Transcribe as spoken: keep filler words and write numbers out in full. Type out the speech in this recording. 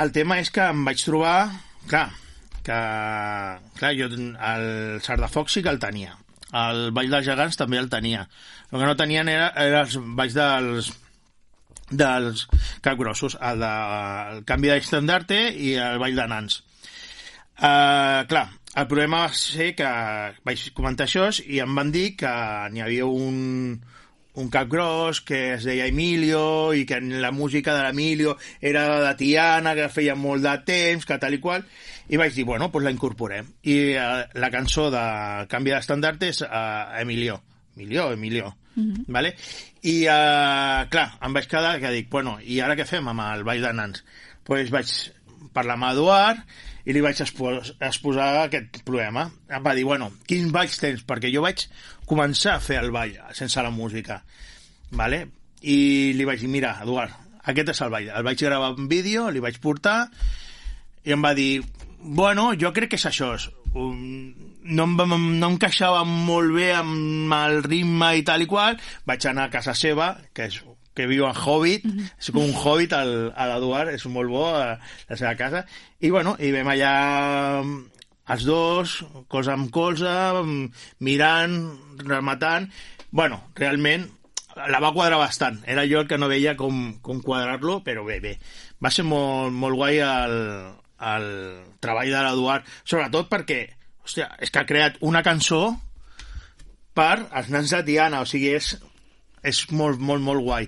el tema és que em vaig trobar, clar, que clar, jo el Sardafoc sí que el tenia, el Ball dels Gegants també el tenia, el que no tenien era, era els balls dels dels capgrossos, el, de, el canvi d'estandarte i el ball de nans. Uh, clar, el problema va ser que vaig comentar això i em van dir que n'hi havia un un capgros que es deia Emilio i que la música de l'Emilio era de Tiana, que feia molt de temps, que tal i qual, i vaig dir, bueno, doncs la incorporem. I uh, la cançó de Canvi d'Estandarte és uh, Emilio. Emilio, Emilio. Mm-hmm. Vale? I, uh, clar, em vaig quedar que dic, bueno, i ara què fem amb el ball de nans? Doncs pues vaig parlar amb Eduard i li vaig expos exposar aquest problema. Em va dir, bueno, quins balls tens? Perquè jo vaig començar a fer el ball sense la música, vale? I li vaig dir, mira, Eduard, aquest és el ball. El vaig gravar en vídeo, li vaig portar i em va dir, bueno, jo crec que és això. No em, no em queixava molt bé amb el ritme i tal i qual. Vaig anar a casa seva, que és que viu en Hobbit, mm-hmm. és com un Hobbit a l'Eduard, és molt bo a la seva casa, i bueno, i vam allà els dos, colze amb colze, mirant, rematant, bueno, realment la va quadrar bastant, era jo el que no veia com, com quadrar-lo, però bé, bé, va ser molt, molt guai el, el treball de l'Eduard, sobretot perquè, hòstia, és que ha creat una cançó per als nans de Tiana, o sigui, és és molt, molt, molt guai.